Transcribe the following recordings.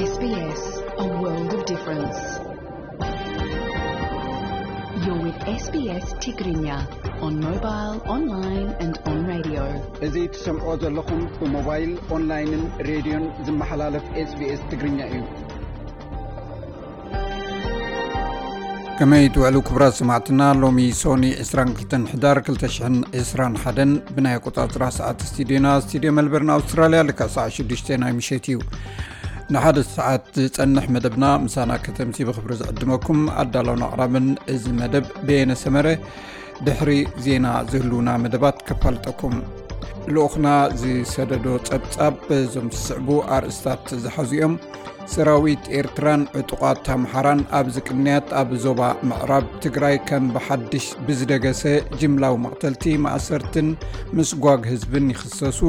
S B S, a world of difference. You're with S B S Tigrinya on mobile, online and on radio. እዚ ትሰምዖ ዘለኹም ብሞባይል፣ ኦንላይንን ሬድዮን ዝመሓላለፍ SBS ትግርኛ እዩ። ከመይ ትውዕሉ ክቡራት ሰማዕትና? ሎሚ ሶኒ ዕስራን ክልተን ሕዳር ክልተ ሽሕን ዕስራን ሓደን ብናይ ኣቆጻጽራ ሰዓት ስቱዲዮና፣ ስቱዲዮ መልበርን ኣውስትራልያ፣ ልክዕ ሰዓት ሽዱሽተ ናይ ምሸት እዩ። ንሓደ ሰዓት ዝጸንሕ መደብና ምሳና ከተምሲ ብኽብሪ ዝዕድመኩም ኣዳላውን ኣቕራብን እዚ መደብ በየነ ሰመረ። ድሕሪ ዜና ዝህልውና መደባት ከፋልጠኩም። ልኡኽና ዝሰደዶ ጸብጻብ እዞም ዝስዕቡ ኣርእስታት ዝሓዙ እዮም። ሰራዊት ኤርትራን ዕጡቓት ኣምሓራን ኣብዚ ቅንያት ኣብ ዞባ ምዕራብ ትግራይ ከም ብሓድሽ ብዝደገሰ ጅምላዊ መቕተልቲ፣ ማእሰርትን ምስጓግ ህዝብን ይኽሰሱ።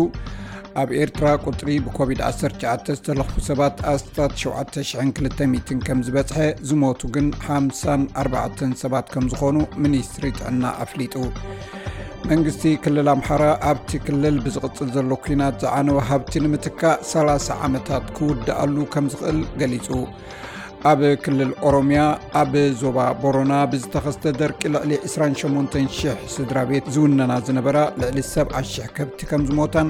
ኣብ ኤርትራ ቁጽሪ ብኮቪድ ዓሰርተ ትሽዓተ ዝተለኽፉ ሰባት ኣስታት ሸውዓተ ሽሕን ክልተ ሚእትን ከም ዝበጽሐ፣ ዝሞቱ ግን ሓምሳን ኣርባዕተን ሰባት ከም ዝኾኑ ሚኒስትሪ ጥዕና ኣፍሊጡ። መንግስቲ ክልል ኣምሓራ ኣብቲ ክልል ብዝቕጽል ዘሎ ኲናት ዝዓነወ ሃብቲ ንምትካእ ሰላሳ ዓመታት ክውድኣሉ ከም ዝኽእል ገሊጹ። ኣብ ክልል ኦሮምያ ኣብ ዞባ ቦሮና ብዝተኸስተ ደርቂ ልዕሊ ዕስራን ሸሞንተን ሽሕ ስድራ ቤት ዝውነና ዝነበራ ልዕሊ ሰብዓ ሽሕ ከብቲ ከም ዝሞታን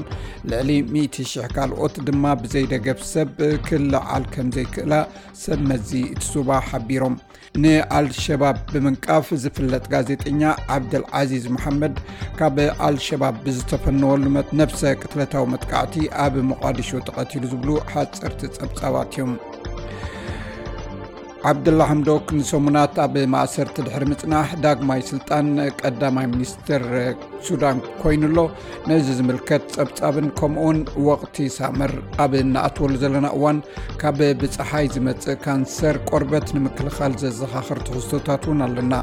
ልዕሊ ሚእቲ ሽሕ ካልኦት ድማ ብዘይደገፍ ሰብ ክለዓል ከም ዘይክእላ ሰብ መዚ እቲ ዞባ ሓቢሮም። ንኣልሸባብ ብምንቃፍ ዝፍለጥ ጋዜጠኛ ዓብደል ዓዚዝ መሓመድ ካብ ኣልሸባብ ብዝተፈነወሉ መት-፣ ነብሰ ቅትለታዊ መጥቃዕቲ ኣብ ሞቓዲሾ ተቐቲሉ ዝብሉ ሓጸርቲ ጸብጻባት እዮም። ዓብደላ ሓምዶክ ንሰሙናት ኣብ ማእሰርቲ ድሕሪ ምጽናሕ ዳግማይ ስልጣን ቀዳማይ ሚኒስትር ሱዳን ኮይኑ ኣሎ። ነዚ ዝምልከት ጸብጻብን ከምኡውን ወቕቲ ሳመር ኣብ እንኣትወሉ ዘለና እዋን ካብ ብጸሓይ ዝመጽእ ካንሰር ቆርበት ንምክልኻል ዘዘኻኽር ትሕዝቶታት እውን ኣለና።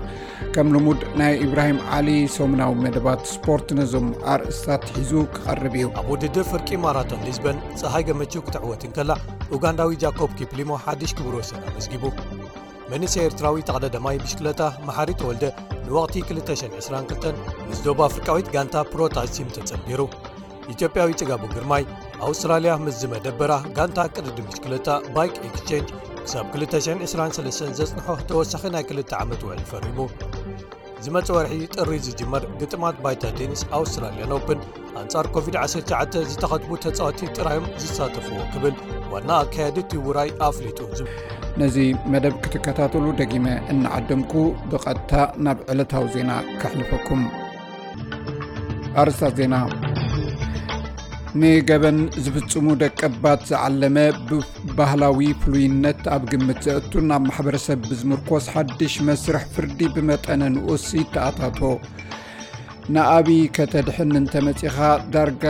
ከም ልሙድ ናይ ኢብራሂም ዓሊ ሰሙናዊ መደባት ስፖርት ነዞም ኣርእስታት ሒዙ ክቐርብ እዩ። ኣብ ውድድር ፍርቂ ማራቶን ሊዝበን፣ ጸሃይ ገመችው ክትዕወት እንከላ፣ ኡጋንዳዊ ጃኮብ ኪፕሊሞ ሓድሽ ክብረ ወሰን ኣመዝጊቡ። መንእሰይ ኤርትራዊ ተቐዳዳማይ ብሽክለታ መሓሪ ተወልደ ንወቕቲ ክልተ ሽሕን ዕስራን ክልተን ምስ ደቡብ ኣፍሪቃዊት ጋንታ ፕሮታሲም ተጸንቢሩ። ኢትዮጵያዊ ጽጋቡ ግርማይ ኣውስትራልያ ምስ ዝመደበራ ጋንታ ቅድድም ብሽክለታ ባይክ ኤክስቼንጅ ክሳብ ክልተ ሽሕን ዕስራን ሰለስተን ዘጽንሖ ተወሳኺ ናይ ክልተ ዓመት ውዕል ፈሪሙ። ዝመጽእ ወርሒ ጥሪ ዝጅመር ግጥማት ባይታ ቴኒስ ኣውስትራልያን ኦፕን ኣንጻር ኮቪድ ዓሰርተ ትሽዓተ ዝተኸትቡ ተጻወትቲ ጥራዮም ዝሳተፍዎ ክብል ዋና ኣካያዲ እቲ ውራይ ኣፍሊጡ። ነዚ መደብ ክትከታተሉ ደጊመ እናዓደምኩ ብቐጥታ ናብ ዕለታዊ ዜና ከሕልፈኩም። ኣርእስታት ዜና። ንገበን ዝፍጽሙ ደቀባት ዝዓለመ ብባህላዊ ፍሉይነት ኣብ ግምት ዘእቱን ኣብ ማሕበረሰብ ብዝምርኮስ ሓድሽ መስርሕ ፍርዲ ብመጠነ ንኡስ ይተኣታቶ። ንኣቢ ከተድሕን እንተመጺኻ ዳርጋ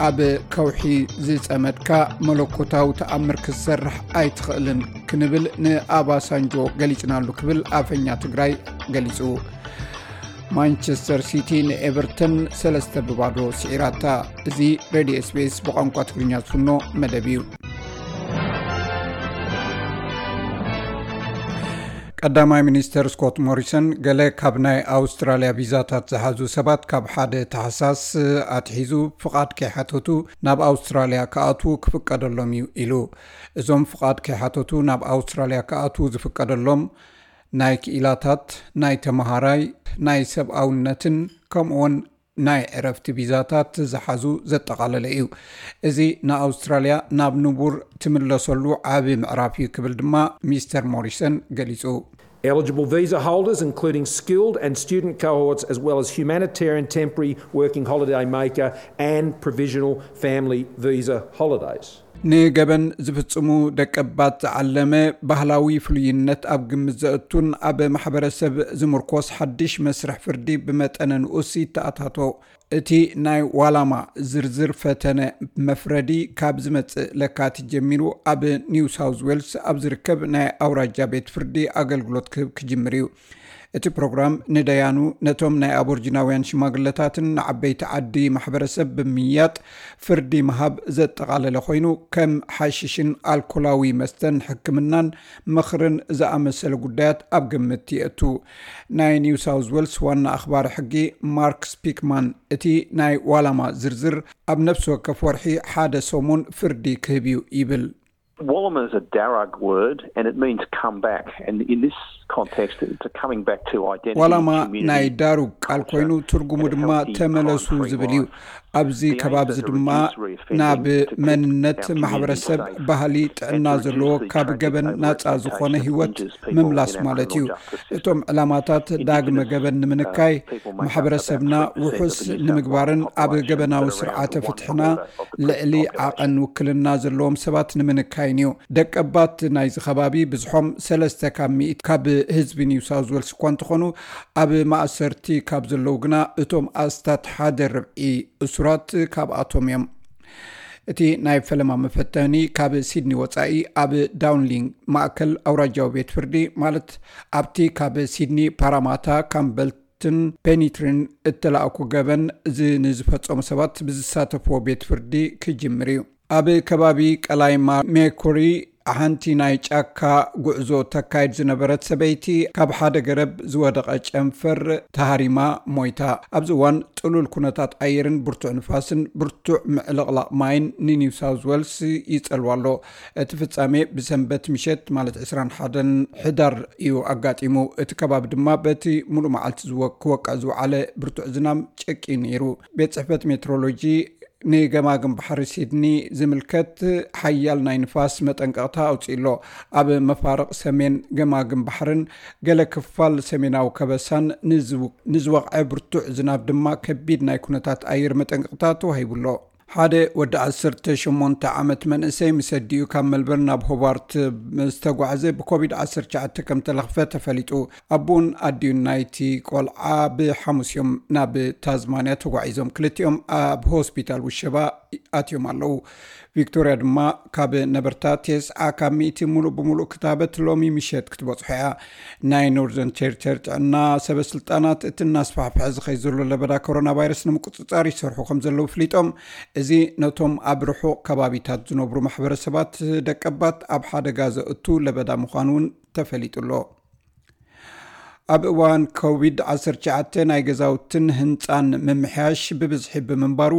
ኣብ ከውሒ ዝጸመድካ መለኮታዊ ተኣምር ክትሰርሕ ኣይትኽእልን ክንብል ንኣባሳንጆ ገሊጽናሉ ክብል ኣፈኛ ትግራይ ገሊጹ። ማንቸስተር ሲቲ ንኤቨርተን ሰለስተ ብባዶ ስዒራታ። እዚ ሬድዮ SBS ብቋንቋ ትግርኛ ዝፍኖ መደብ እዩ። ቀዳማይ ሚኒስተር ስኮት ሞሪሰን ገለ ካብ ናይ ኣውስትራልያ ቪዛታት ዝሓዙ ሰባት ካብ ሓደ ታሕሳስ ኣትሒዙ ፍቓድ ከይሓተቱ ናብ ኣውስትራልያ ክኣትዉ ክፍቀደሎም እዩ ኢሉ። እዞም ፍቓድ ከይሓተቱ ናብ ኣውስትራልያ ክኣትዉ ዝፍቀደሎም ናይ ክኢላታት፣ ናይ ተመሃራይ፣ ናይ ሰብኣውነትን ከምኡውን ናይ ዕረፍቲ ቪዛታት ዝሓዙ ዘጠቓለለ እዩ። እዚ ንኣውስትራልያ ናብ ንቡር ትምለሰሉ ዓቢ ምዕራፍ እዩ ክብል ድማ ሚስተር ሞሪሰን ገሊጹ። Eligible visa holders, including skilled and student cohorts, as well as humanitarian temporary working holiday maker and provisional family visa holidays. ንገበን ዝፍጽሙ ደቀባት ዝዓለመ ባህላዊ ፍሉይነት ኣብ ግምት ዘእቱን ኣብ ማሕበረሰብ ዝምርኮስ ሓድሽ መስርሕ ፍርዲ ብመጠነ ንኡስ ይተኣታቶ። እቲ ናይ ዋላማ ዝርዝር ፈተነ መፍረዲ ካብ ዝመጽእ ለካቲት ጀሚሩ ኣብ ኒው ሳውዝ ዌልስ ኣብ ዝርከብ ናይ ኣውራጃ ቤት ፍርዲ ኣገልግሎት ክህብ ክጅምር እዩ። እቲ ፕሮግራም ንደያኑ፣ ነቶም ናይ ኣቦርጂናውያን ሽማግለታትን ንዓበይቲ ዓዲ ማሕበረሰብ ብምምያጥ ፍርዲ ምሃብ ዘጠቓለለ ኮይኑ፣ ከም ሓሽሽን ኣልኮላዊ መስተን ሕክምናን ምኽርን ዝኣመሰለ ጉዳያት ኣብ ግምት የእቱ። ናይ ኒው ሳውዝ ዌልስ ዋና ኣኽባሪ ሕጊ ማርክ ስፒክማን እቲ ናይ ዋላማ ዝርዝር ኣብ ነፍሲ ወከፍ ወርሒ ሓደ ሰሙን ፍርዲ ክህብ እዩ ይብል። Walama is a Darug word and it means come back. And in this context, it's a coming back to identity, ዋላማ community, ናይ ዳሩግ ቃል ኮይኑ ትርጉሙ ድማ ተመለሱ ዝብል እዩ። ኣብዚ ከባቢ ድማ ናብ መንነት ማሕበረሰብ፣ ባህሊ፣ ጥዕና ዘለዎ ካብ ገበን ናፃ ዝኾነ ህይወት ምምላስ ማለት እዩ። እቶም ዕላማታት ዳግመ ገበን ንምንካይ፣ ማሕበረሰብና ውሑስ ንምግባርን ኣብ ገበናዊ ስርዓተ ፍትሕና ልዕሊ ዓቐን ውክልና ዘለዎም ሰባት ንምንካይን እዩ። ደቀባት ናይዚ ከባቢ ብዝሖም ሰለስተ ካብ ሚእቲ ካብ ህዝቢ ኒው ሳውዝ ዌልስ እኳ እንተኾኑ፣ ኣብ ማእሰርቲ ካብ ዘለዉ ግና እቶም ኣስታት ሓደ ርብዒ እሱራት ካብኣቶም እዮም። እቲ ናይ ፈለማ መፈተኒ ካብ ሲድኒ ወፃኢ ኣብ ዳውንሊንግ ማእከል ኣውራጃዊ ቤት ፍርዲ፣ ማለት ኣብቲ ካብ ሲድኒ ፓራማታ፣ ካምበልትን ፔኒትሪን እተላእኩ ገበን ንዝፈፀሙ ሰባት ብዝሳተፍዎ ቤት ፍርዲ ክጅምር እዩ። ኣብ ከባቢ ቀላይ ሜርኩሪ ሓንቲ ናይ ጫካ ጉዕዞ ተካይድ ዝነበረት ሰበይቲ ካብ ሓደ ገረብ ዝወደቐ ጨንፈር ተሃሪማ ሞይታ። ኣብዚ እዋን ጥሉል ኩነታት ኣየርን ብርቱዕ ንፋስን ብርቱዕ ምዕልቕላቕ ማይን ንኒው ሳውዝ ዌልስ ይጸልዋ ኣሎ። እቲ ፍጻሜ ብሰንበት ምሸት ማለት ዕስራን ሓደን ሕዳር እዩ ኣጋጢሙ። እቲ ከባቢ ድማ በቲ ሙሉእ መዓልቲ ዝወ- ክወቅዕ ዝወዓለ ብርቱዕ ዝናም ጨቂዩ ነይሩ። ቤት ጽሕፈት ሜትሮሎጂ ንገማግም ባሕሪ ሲድኒ ዝምልከት ሓያል ናይ ንፋስ መጠንቀቕታ ኣውፂኡ ኣሎ። ኣብ መፋርቕ ሰሜን ገማግም ባሕርን ገለ ክፋል ሰሜናዊ ከበሳን ንዝወቕዐ ብርቱዕ ዝናብ ድማ ከቢድ ናይ ኩነታት ኣየር መጠንቀቕታ ተዋሂቡ ኣሎ። ሓደ ወዲ ዓሰርተ ሸሞንተ ዓመት መንእሰይ ምስ ኣዲኡ ካብ መልበርን ናብ ሆባርት ዝተጓዕዘ ብኮቪድ ዓሰርተ ትሽዓተ ከም ተለኽፈ ተፈሊጡ። ኣቦን ኣዲኡን ናይቲ ቆልዓ ብሓሙስ እዮም ናብ ታዝማንያ ተጓዒዞም። ክልቲኦም ኣብ ሆስፒታል ውሸባ ኣትዮም ኣለዉ። ቪክቶርያ ድማ ካብ ነበርታ ቴስዓ ካብ ሚእቲ ሙሉእ ብምሉእ ክታበት ሎሚ ምሸት ክትበጽሖ እያ። ናይ ኖርዘርን ቴሪተሪ ጥዕና ሰበ ስልጣናት እቲ እናስፋሕፍሐ ዝኸይ ዘሎ ለበዳ ኮሮና ቫይረስ ንምቁጽጻር ይሰርሑ ከም ዘለዉ ፍሊጦም፣ እዚ ነቶም ኣብ ርሑቕ ከባቢታት ዝነብሩ ማሕበረሰባት ደቀባት ኣብ ሓደጋ ዘእቱ ለበዳ ምዃኑ እውን ተፈሊጡ ኣሎ። ኣብ እዋን ኮቪድ ዓሰርተ ትሽዓተ ናይ ገዛውትን ህንፃን ምምሕያሽ ብብዝሒ ብምንባሩ፣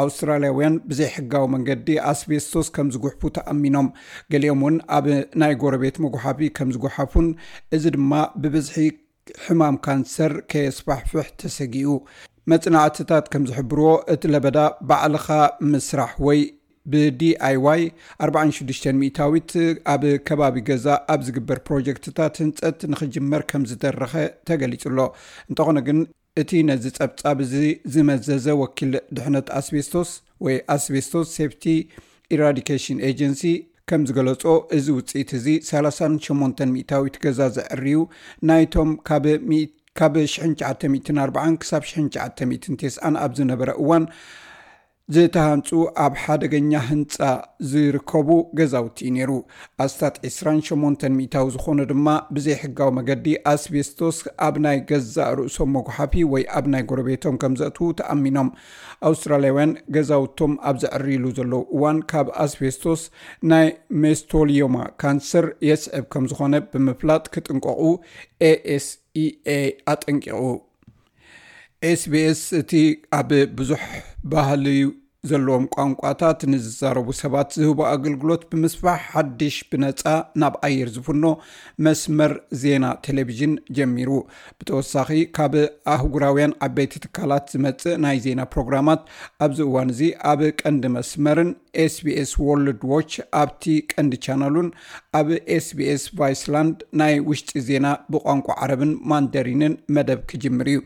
ኣውስትራልያውያን ብዘይሕጋዊ መንገዲ ኣስቤስቶስ ከም ዝጉሕፉ ተኣሚኖም። ገሊኦም እውን ኣብ ናይ ጎረቤት መጉሓፊ ከም ዝጉሓፉን፣ እዚ ድማ ብብዝሒ ሕማም ካንሰር ከየስፋሕፍሕ ተሰጊኡ። መጽናዕትታት ከም ዝሕብርዎ፣ እቲ ለበዳ ባዕልኻ ምስራሕ ወይ ብዲኣይዋይ ኣርባዓን ሽዱሽተን ሚእታዊት ኣብ ከባቢ ገዛ ኣብ ዝግበር ፕሮጀክትታት ህንጸት ንኽጅመር ከም ዝደረኸ ተገሊጹ ኣሎ። እንተኾነ ግን፣ እቲ ነዚ ጸብጻብ እዚ ዝመዘዘ ወኪል ድሕነት ኣስቤስቶስ ወይ ኣስቤስቶስ ሴፍቲ ኢራዲኬሽን ኤጀንሲ ከም ዝገለጾ፣ እዚ ውጽኢት እዚ ሰላሳን ሸሞንተን ሚእታዊት ገዛ ዘዕርዩ ናይቶም ካብ ሚእቲ ካብ ሽሕን ትሽዓተ ሚእትን ኣርባዓን ክሳብ ሽሕን ትሽዓተ ሚእትን ተስዓን ኣብ ዝነበረ እዋን ዝተሃንጹ ኣብ ሓደገኛ ህንጻ ዝርከቡ ገዛውቲ እዩ ነይሩ። ኣስታት ዕስራን ሸሞንተን ሚእታዊ ዝኾኑ ድማ ብዘይሕጋዊ መገዲ ኣስቤስቶስ ኣብ ናይ ገዛእ ርእሶም መጉሓፊ ወይ ኣብ ናይ ጎረቤቶም ከም ዘእትዉ ተኣሚኖም። ኣውስትራልያውያን ገዛውቶም ኣብ ዘዕርይሉ ዘለዉ እዋን ካብ ኣስቤስቶስ ናይ ሜስቶሊዮማ ካንሰር የስዕብ ከም ዝኾነ ብምፍላጥ ክጥንቀቑ ኤኤስኢኤ ኣጠንቂቑ። ኤስቢኤስ እቲ ኣብ ብዙሕ ባህሊ ዘለዎም ቋንቋታት ንዝዛረቡ ሰባት ዝህቦ ኣገልግሎት ብምስፋሕ ሓድሽ ብነጻ ናብ ኣየር ዝፍኖ መስመር ዜና ቴሌቪዥን ጀሚሩ። ብተወሳኺ ካብ ኣህጉራውያን ዓበይቲ ትካላት ዝመጽእ ናይ ዜና ፕሮግራማት ኣብዚ እዋን እዚ ኣብ ቀንዲ መስመርን ኤስቢኤስ ወርልድ ዎች ኣብቲ ቀንዲ ቻናሉን ኣብ ኤስቢኤስ ቫይስላንድ ናይ ውሽጢ ዜና ብቋንቋ ዓረብን ማንደሪንን መደብ ክጅምር እዩ።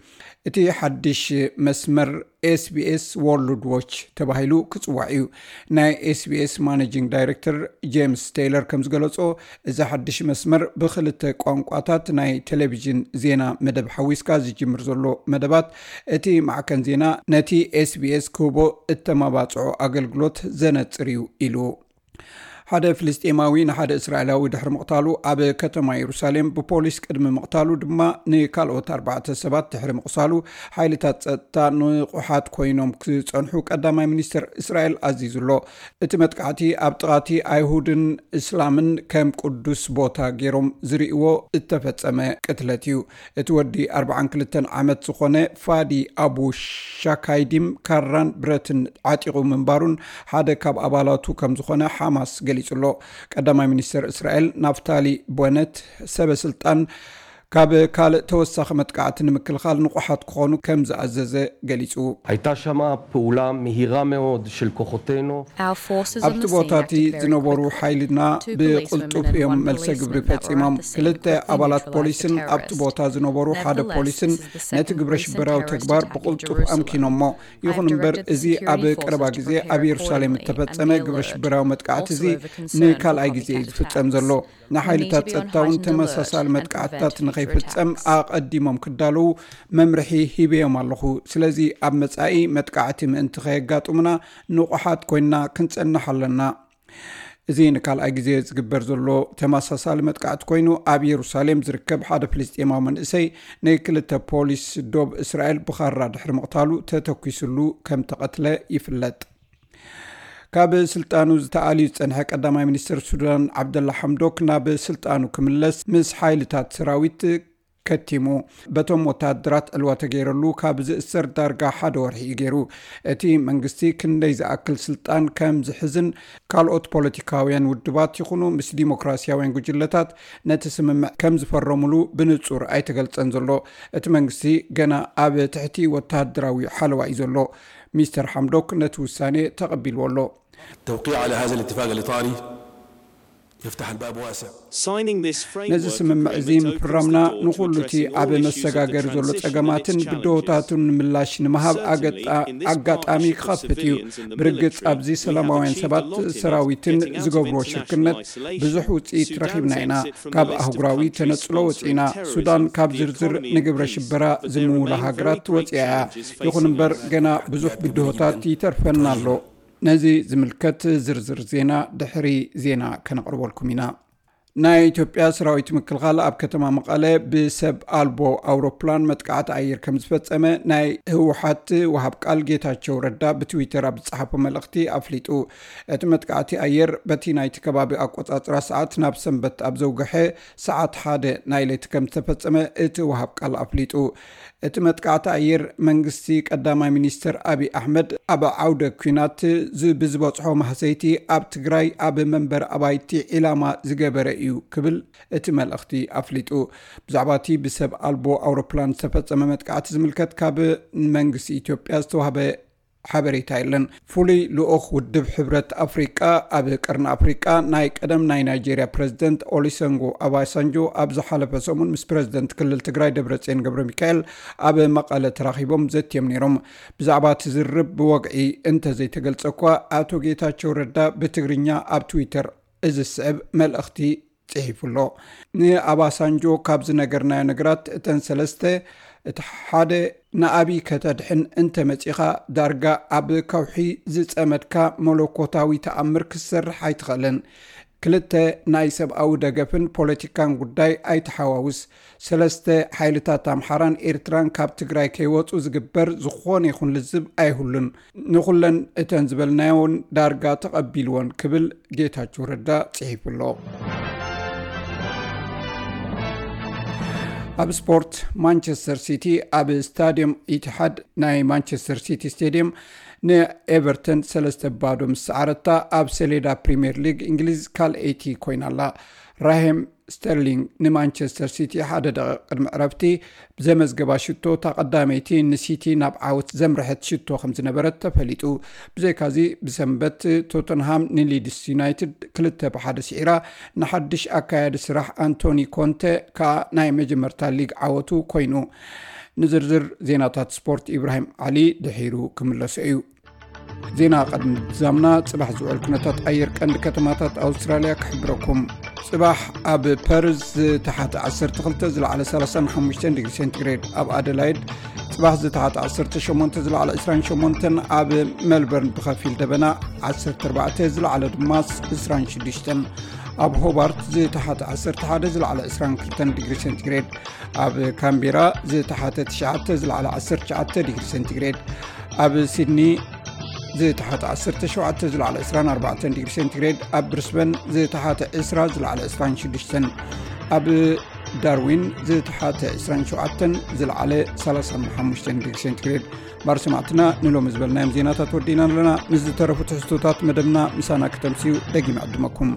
እቲ ሓድሽ መስመር ኤስቢኤስ ወርልድ ዎች ተባሂሉ ክጽዋዕ እዩ። ናይ ኤስቢኤስ ማኔጂንግ ዳይሬክተር ጄምስ ቴይለር ከም ዝገለጾ፣ እዚ ሓድሽ መስመር ብኽልተ ቋንቋታት ናይ ቴሌቪዥን ዜና መደብ ሓዊስካ ዝጅምር ዘሎ መደባት፣ እቲ ማዕከን ዜና ነቲ ኤስቢኤስ ክህቦ እተመባጽዖ ኣገልግሎት ዘነጽር እዩ ኢሉ። ሓደ ፍልስጤማዊ ንሓደ እስራኤላዊ ድሕሪ ምቕታሉ፣ ኣብ ከተማ የሩሳሌም ብፖሊስ ቅድሚ ምቕታሉ ድማ ንካልኦት ኣርባዕተ ሰባት ድሕሪ ምቕሳሉ፣ ሓይልታት ጸጥታ ንቑሓት ኮይኖም ክጸንሑ ቀዳማይ ሚኒስትር እስራኤል ኣዚዙ ኣሎ። እቲ መጥቃዕቲ ኣብ ጥቓቲ ኣይሁድን እስላምን ከም ቅዱስ ቦታ ገይሮም ዝርእይዎ እተፈጸመ ቅትለት እዩ። እቲ ወዲ ኣርባዓን ክልተን ዓመት ዝኾነ ፋዲ ኣቡ ሻካይዲም ካራን ብረትን ዓጢቑ ምንባሩን ሓደ ካብ ኣባላቱ ከም ዝኾነ ሓማስ ገሊጹ ኣሎ። ቀዳማይ ሚኒስተር እስራኤል ናፍታሊ ቦነት ሰበ ስልጣን ካብ ካልእ ተወሳኺ መጥቃዕቲ ንምክልኻል ንቑሓት ክኾኑ ከም ዝኣዘዘ ገሊጹ። הייתה שם פעולה מהירה מאוד של כוחותינו. ኣብቲ ቦታ እቲ ዝነበሩ ሓይልና ብቕልጡፍ እዮም መልሰ ግብሪ ፈጺሞም። ክልተ ኣባላት ፖሊስን ኣብቲ ቦታ ዝነበሩ ሓደ ፖሊስን ነቲ ግብረ ሽበራዊ ተግባር ብቕልጡፍ ኣምኪኖሞ። ይኹን እምበር፣ እዚ ኣብ ቀረባ ግዜ ኣብ የሩሳሌም እተፈጸመ ግብረ ሽበራዊ መጥቃዕቲ እዚ ንካልኣይ ግዜ እዩ ዝፍጸም ዘሎ። ንሓይልታት ጸጥታ እውን ተመሳሳሊ መጥቃዕትታት ንኸይፍጸም ኣቐዲሞም ክዳለዉ መምርሒ ሂበዮም ኣለኹ። ስለዚ ኣብ መጻኢ መጥቃዕቲ ምእንቲ ከየጋጥሙና ንቑሓት ኮይንና ክንጸንሕ ኣለና። እዚ ንካልኣይ ግዜ ዝግበር ዘሎ ተመሳሳሊ መጥቃዕቲ ኮይኑ፣ ኣብ የሩሳሌም ዝርከብ ሓደ ፍልስጤማዊ መንእሰይ ንክልተ ፖሊስ ዶብ እስራኤል ብኻራ ድሕሪ ምቕታሉ ተተኲስሉ ከም ተቐትለ ይፍለጥ። ካብ ስልጣኑ ዝተኣልዩ ዝጸንሐ ቀዳማይ ሚኒስትር ሱዳን ዓብደላ ሓምዶክ ናብ ስልጣኑ ክምለስ ምስ ሓይልታት ሰራዊት ከቲሙ። በቶም ወተሃደራት ዕልዋ ተገይረሉ ካብ ዝእሰር ዳርጋ ሓደ ወርሒ እዩ ገይሩ። እቲ መንግስቲ ክንደይ ዝኣክል ስልጣን ከም ዝሕዝን ካልኦት ፖለቲካውያን ውድባት ይኹኑ ምስ ዲሞክራሲያውያን ጉጅለታት ነቲ ስምምዕ ከም ዝፈረሙሉ ብንጹር ኣይተገልጸን ዘሎ። እቲ መንግስቲ ገና ኣብ ትሕቲ ወተሃደራዊ ሓለዋ እዩ ዘሎ። ሚስተር ሓምዶክ ነቲ ውሳኔ ተቐቢልዎ ኣሎ። التوقيع على هذا الاتفاق الإطاري يفتح الباب واسع. ነዚ ስምምዕ እዚ ምፍራምና ንኹሉ እቲ ኣብ መሰጋገሪ ዘሎ ጸገማትን ብድሆታቱን ምላሽ ንምሃብ ኣጋጣሚ ክኸፍት እዩ። ብርግጽ ኣብዚ ሰላማውያን ሰባት ሰራዊትን ዝገብርዎ ሽርክነት ብዙሕ ውጽኢት ረኺብና ኢና። ካብ ኣህጉራዊ ተነጽሎ ወጺእና። ሱዳን ካብ ዝርዝር ንግብረ ሽበራ ዝምውላ ሃገራት ወጺኣ እያ። ይኹን እምበር ገና ብዙሕ ብድሆታት ይተርፈና ኣሎ። ነዚ ዝምልከት ዝርዝር ዜና ድሕሪ ዜና ከነቕርበልኩም ኢና። ናይ ኢትዮጵያ ሰራዊት ምክልኻል ኣብ ከተማ መቐለ ብሰብ ኣልቦ ኣውሮፕላን መጥቃዕቲ ኣየር ከም ዝፈጸመ ናይ ህወሓት ወሃብ ቃል ጌታቸው ረዳ ብትዊተር ኣብ ዝጸሓፎ መልእኽቲ ኣፍሊጡ። እቲ መጥቃዕቲ ኣየር በቲ ናይቲ ከባቢ ኣቆጻጽራ ሰዓት ናብ ሰንበት ኣብ ዘውግሐ ሰዓት ሓደ ናይ ለይቲ ከም ዝተፈጸመ እቲ ወሃብ ቃል ኣፍሊጡ። እቲ መጥቃዕቲ ኣየር መንግስቲ ቀዳማይ ሚኒስትር ኣብይ ኣሕመድ ኣብ ዓውደ ኲናት ብዝበጽሖ ማህሰይቲ ኣብ ትግራይ ኣብ መንበሪ ኣባይቲ ዒላማ ዝገበረ እዩ ክብል እቲ መልእኽቲ ኣፍሊጡ። ብዛዕባ እቲ ብሰብ ኣልቦ ኣውሮፕላን ዝተፈጸመ መጥቃዕቲ ዝምልከት ካብ መንግስቲ ኢትዮጵያ ዝተዋህበ ሓበሬታ የለን። ፍሉይ ልኡኽ ውድብ ሕብረት ኣፍሪቃ ኣብ ቀርኒ ኣፍሪቃ ናይ ቀደም ናይ ናይጄርያ ፕረዚደንት ኦሊሰንጎ ኣባሳንጆ ኣብ ዝሓለፈ ሰሙን ምስ ፕረዚደንት ክልል ትግራይ ደብረጽዮን ገብረ ሚካኤል ኣብ መቐለ ተራኺቦም ዘትዮም ነይሮም። ብዛዕባ እቲ ዝርርብ ብወግዒ እንተዘይተገልጸ እኳ ኣቶ ጌታቸው ረዳ ብትግርኛ ኣብ ትዊተር እዚ ዝስዕብ መልእኽቲ ጽሒፉ ኣሎ። ንኣባሳንጆ ካብ ዝነገርናዮ ነገራት እተን ሰለስተ፣ እቲ ሓደ ንኣብይ ከተድሕን እንተመጺኻ ዳርጋ ኣብ ከውሒ ዝጸመድካ መለኮታዊ ተኣምር ክትሰርሕ ኣይትኽእልን። ክልተ ናይ ሰብኣዊ ደገፍን ፖለቲካን ጉዳይ ኣይትሓዋውስ። ሰለስተ ሓይልታት ኣምሓራን ኤርትራን ካብ ትግራይ ከይወጹ ዝግበር ዝኾነ ይኹን ልዝብ ኣይህሉን። ንኹለን እተን ዝበልናዮን ዳርጋ ተቐቢልዎን ክብል ጌታቸው ረዳ ጽሒፉ ኣሎ። ኣብ ስፖርት ማንቸስተር ሲቲ ኣብ ስታዲየም ኢትሓድ ናይ ማንቸስተር ሲቲ ስቴዲየም ንኤቨርተን ሰለስተ ባዶ ምስ ሰዓረታ ኣብ ሰሌዳ ፕሪምየር ሊግ እንግሊዝ ካልኣይቲ ኮይና ኣላ። ራሄም ስተርሊንግ ንማንቸስተር ሲቲ ሓደ ደቂቕ ቅድሚ ዕረፍቲ ብዘመዝገባ ሽቶ እታ ቀዳመይቲ ንሲቲ ናብ ዓወት ዘምርሐት ሽቶ ከም ዝነበረት ተፈሊጡ። ብዘይካዚ ብሰንበት ቶተንሃም ንሊድስ ዩናይትድ ክልተ ብሓደ ስዒራ ንሓድሽ ኣካያዲ ስራሕ ኣንቶኒ ኮንተ ከኣ ናይ መጀመርታ ሊግ ዓወቱ ኮይኑ። ንዝርዝር ዜናታት ስፖርት ኢብራሂም ዓሊ ድሒሩ ክምለሶ እዩ። ዜና ቅድሚ ምዛምና ጽባሕ ዝውዕል ኩነታት ኣየር ቀንዲ ከተማታት ኣውስትራልያ ክሕብረኩም። ጽባሕ ኣብ ፐርዝ ዝተሓተ ዓሰርተ ክልተ ዝለዓለ ሰላሳን ሓሙሽተን ዲግሪ ሴንቲግሬድ፣ ኣብ ኣደላይድ ጽባሕ ዝተሓተ ዓሰርተ ሸሞንተ ዝለዓለ ዕስራን ሸሞንተን፣ ኣብ ሜልበርን ብኸፊል ደበና ዓሰርተ ኣርባዕተ ዝለዓለ ድማ ዕስራን ሽዱሽተን፣ ኣብ ሆባርት ዝተሓተ ዓሰርተ ሓደ ዝለዓለ ዕስራን ክልተን ዲግሪ ሴንቲግሬድ፣ ኣብ ካምቤራ ዝተሓተ ትሽዓተ ዝለዓለ ዓሰርተ ትሽዓተ ዲግሪ ሴንቲግሬድ፣ ኣብ ሲድኒ ዝተሓተ ዓሰርተ ሸውዓተ ዝለዓለ ዕስራን ኣርባዕተን ዲግሪ ሴንቲግሬድ፣ ኣብ ብሪስበን ዝተሓተ ዕስራ ዝለዓለ ዕስራን ሽዱሽተን፣ ኣብ ዳርዊን ዝተሓተ ዕስራን ሸውዓተን፣ ዝለዓለ ሰላሳን ሓሙሽተን ዲግሪ ሴንቲግሬድ። ባር ሰማዕትና፣ ንሎሚ ዝበልናዮም ዜናታት ወዲእና ኣለና። ምስ ዝተረፉ ትሕዝቶታት መደብና ምሳና ክተምስዩ ደጊም ዕድመኩም።